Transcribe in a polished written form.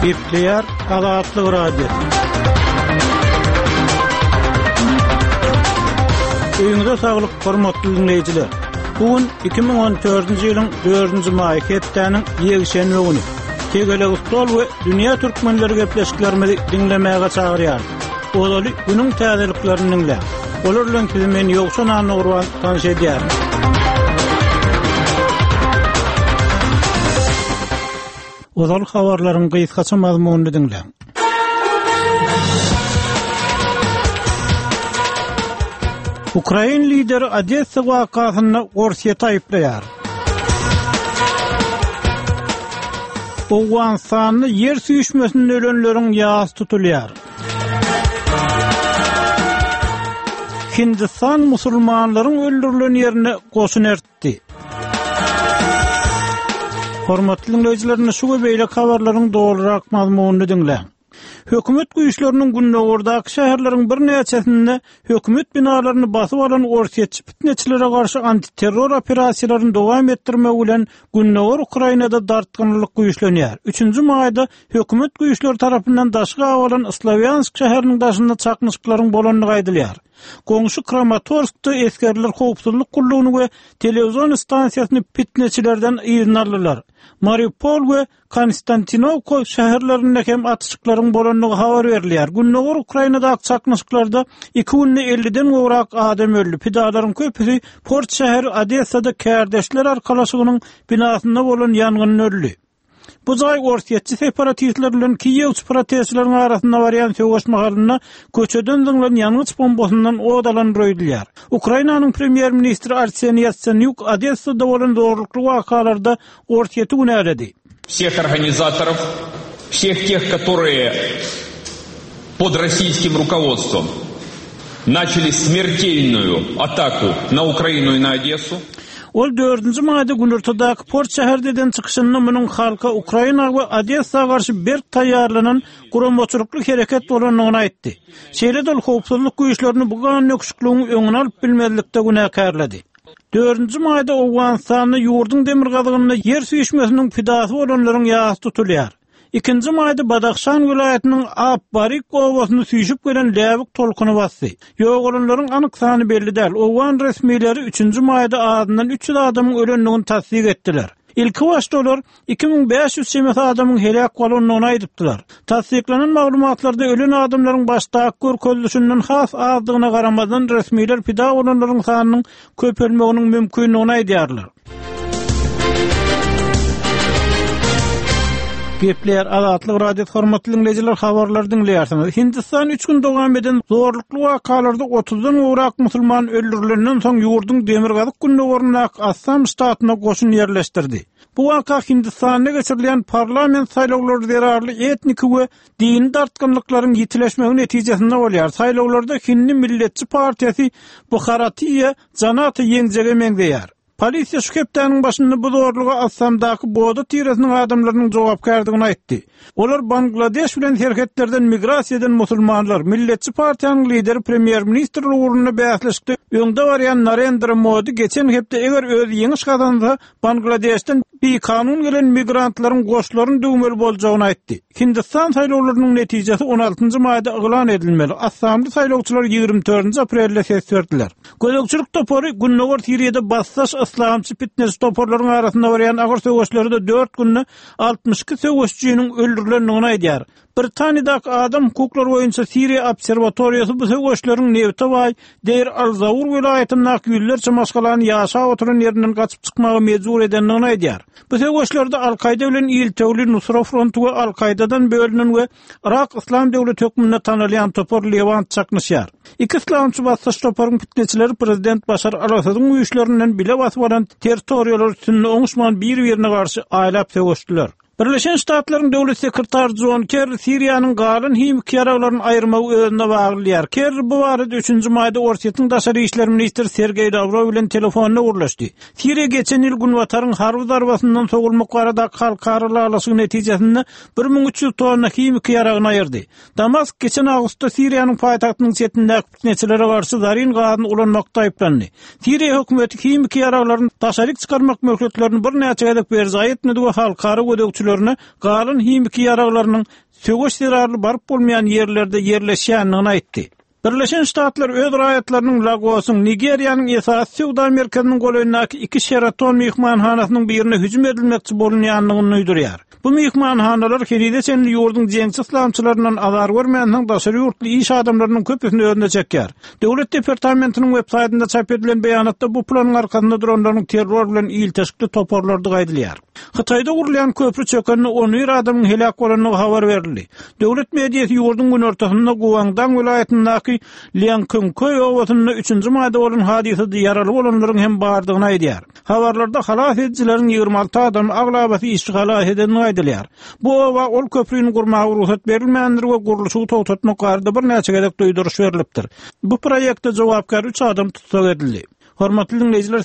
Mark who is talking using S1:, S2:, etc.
S1: Gepleýär Azatlyk Radiosy. Öýüňize saglyk, hormatly diňleýjiler. Bu gün 2014-nji ýylyň 4-nji maýy hepdäniň ýekşenbe güni. Tegelek stol we dünýä türkmenleri gepleşiklerimizi diňlemäge çagyrýarys. Ozaly günüň täzeliklerini diňläň. Olar bilen sizi men Ýowşan Annagurban tanyş edýärin. Ozal habarlaryň gysgaça mazmunyny diňläň. Ukrain lideri Odessa wakasynda Orsýeti aýyplaýar. Owganystanda ýer süýşmesinde ölenleriň ýasy tutulýar. Hindistan musulmanlaryň öldürilen ýerine goşun ertdi. Hormatly diňleýjiler, indi şu we beýleki habarlaryň dolurak mazmunyny diňläň. Hökümet güýçleriniň gündogardaky şäherleriň birnäçesinde hökümet binalaryny basyp alan orsýetçi pitneçilere garşy antiterror operasiýalaryny dowam etdirmegi bilen gündogar Ukrainada dartgynlylyk güýçlenýär. Üçünji maýda hökümet güýçleri tarapyndan daşy gabalan Slowýansk şäheriniň daşynda çaknyşyklaryň bolandygy aýdylýar. Goňşy Kramatorskda esgerler howpsuzlyk gullugyny we telewizion stansiýasyny pitneçilerden yzyna aldylar. Mariupol we Konstantinowka şäherlerinde hem atyşyklaryň bolandygy habar berilýär. Gündogar Ukrainadaky çaknyşyklarda iki günde elliden gowrak adam öldi. Pidalaryň köpüsi port şäheri Odessada Kärdeşler arkalaşygynyň binasynda bolan ýangynda öldi. Bu jaý orsýetçi separatistler bilen kiýewçi protestçileriň arasynda barýan söweş mahalynda köçeden zyňlan ýangyç bombasyndan ot alandyr öýdülýär. Ukrainanyň premýer-ministri Arseniý Ýatsenýuk Odessada bolan zorlukly wakalarda Orsýeti günäledi.
S2: Всех организаторов, всех тех, которые под российским руководством начали смертельную атаку на Украину и на Одессу.
S1: Ol dördünji maýda günortadaky port şäherde eden çykyşynda munuň halka Ukraina we Odessa garşy berk taýýarlanan guramaçylykly hereket bolandygyny aýtdy. Şeýle-de ol howpsuzlyk güýçlerini bu gandöküşikligiň öňüni alyp bilmezlikde günäkärledi. Dördünji maýda Owganystanda ýurduň demirgazygynda ýer süýşmesiniň pidasy bolanlaryň ýasy tutulýar. Ikinji maýda Badahşan welaýatynyň Ab Barik obasyny süýşüp gelen läbik tolkuny basdy. Ýogalanlaryň anyk sany belli däl. Owgan resmileri üçünji maýda azyndan 300 adamyň ölendigini tassyk etdiler. Ilkibaşda olar 2500 çemesi adamyň heläk bolandygyny aýdypdylar. Tassyklanan maglumatlarda ölen adamlaryň başdaky görkezilişinden has azdygyna garamazdan, resmiler pida bolanlaryň sanynyň köpelmeginiň mümkindigini aýdýarlar. Gepleýär Azatlyk Radiosy hormatly diňleýjiler habarlary diňleýärsiňiz. Hindistan üç gün dowam eden zorlukly wakalarda otuzdan gowrak musulman öldürilenden soň ýurduň demirgazyk-gündogaryndaky Assam ştatyna goşun ýerleşdirdi. Bu waka Hindistanda geçirilýän parlament saýlawlary zerarly etniki we dini dartgynlyklaryň ýitileşmegi netijesinde bolýar. Saýlawlarda hindi milletçi partiýasy Bharatiýa Janata ýeňjege meňzeýär. Polisiýa şu hepdäniň başynda bu zorluga Assamdaky Bodo tiresiniň adamlarynyň jogapkärdigini aýtdy. Olar Bangladeş bilen serhetlerden migrasiýa eden musulmanlar. Milletçi partiýanyň lideri premýer-ministrlik ugrunda bäsleşikde öňde barýan Narendra Modi geçen hepde eger özi ýeňiş gazansa, Bangladeşden bikanun gelen migrantlaryň goşlaryny düwmeli boljagyny aýtdy. Hindistan saýlawlarynyň netijesi on altynjy maýda yglan edilmeli. Assamly saýlawçylar 24-nji aprelde ses berdiler. Gözegçilik topary Gündogar Siriýada basdaş yslamçy pitneçi toparlaryň arasynda barýan agyr söweşlerde dört günde 62 söweşijiniň öldürilendigini aýdýar. Britaniýadaky adam hukuklary boýunça Siriýa obserwatoriýasy bu söweşleriň nebite baý Deir al-Zaur welaýatyndaky ýüzlerçe maşgalany ýaşap oturan ýerinden gaçyp çykmaga mejbur edendigini aýdýar. Bu söweşlerde Al-Kaýda bilen iltewli Nusra fronty we Al-Kaýdadan bölünen we Yrak Yslam döwleti hökmünde tanalýan topar Lewant çaknyşýar. Iki yslamçy basdaş toparyň pitneçileri prezident Başar al-Asadyň güýçlerinden bile basyp alan territoriýalar üstünde oňuşman bir-birine garşy aýlap söweşdiler. Birleşen Ştatlaryň Döwlet sekretary Jon Kerri Siriýanyň galan himiki ýaraglaryny aýyrmagy özüne baglaýar. Kerri bu barada üçünji maýda Orsýetiň daşary işler ministri Sergeý Lawrow bilen telefonda gürleşdi. Siriýa geçen ýyl Günbataryň harby zarbasyndan sowulmak baradaky halkara ylalaşygy netijesinde 1300 tonna himiki ýaragyny aýyrdy. Damask geçen awgustda Siriýanyň paýtagtynyň çetindäki pitneçilere garşy zarin gazyny ulanmakda aýyplandy. Siriýa hökümeti himiki ýaraglaryny daşaryk çykarmak möhletlerini birnäçe gezek berjaý etmedi we halkara gözegçilik. gözegçilerine galan himiki ýaraglarynyň söweş zerarly baryp bolmaýan ýerlerde ýerleşýändigini aýtdy. Birleşen Ştatlar öz raýatlarynyň Lagosyň, Nigeriýanyň esasy söwda merkeziniň golaýyndaky iki Şeraton myhmanhanasynyň birine hüjüm edilmekçi bolunýandygyny duýdurýar. Bu myhmanhanalar henize çenli ýurduň jeňçi yslamçylaryndan azar görmänsoň daşary ýurtly iş adamlarynyň köpüsini özüne çekýär. Döwlet departamentiniň websaýtynda çap edilen beýanatda bu planyň arkasynda duranlaryň terror bilen ilteşikli toparlardygy aýdylýar. Hytaýda gurulýan köpri çökende 11 adamyň heläk bolandygy habar berildi. Döwlet mediasy ýurduň günortasynda Guangdong welaýatyndaky Liankünköý obasynda üçünji maýda bolan hadysada ýaraly bolanlaryň hem bardygyny aýdýar. Habarlarda halas edijileriň 26 adamy, aglabasy işçi halas edendigi aýdylýar. Bu oba ol köprüni gurmaga rugsat berilmändir we gurluşygy togtatmak barada birnäçe gezek duýduryş berlipdir. Bu proýekte jogapkär üç adam tussag edildi. Hormatly diňleýjiler!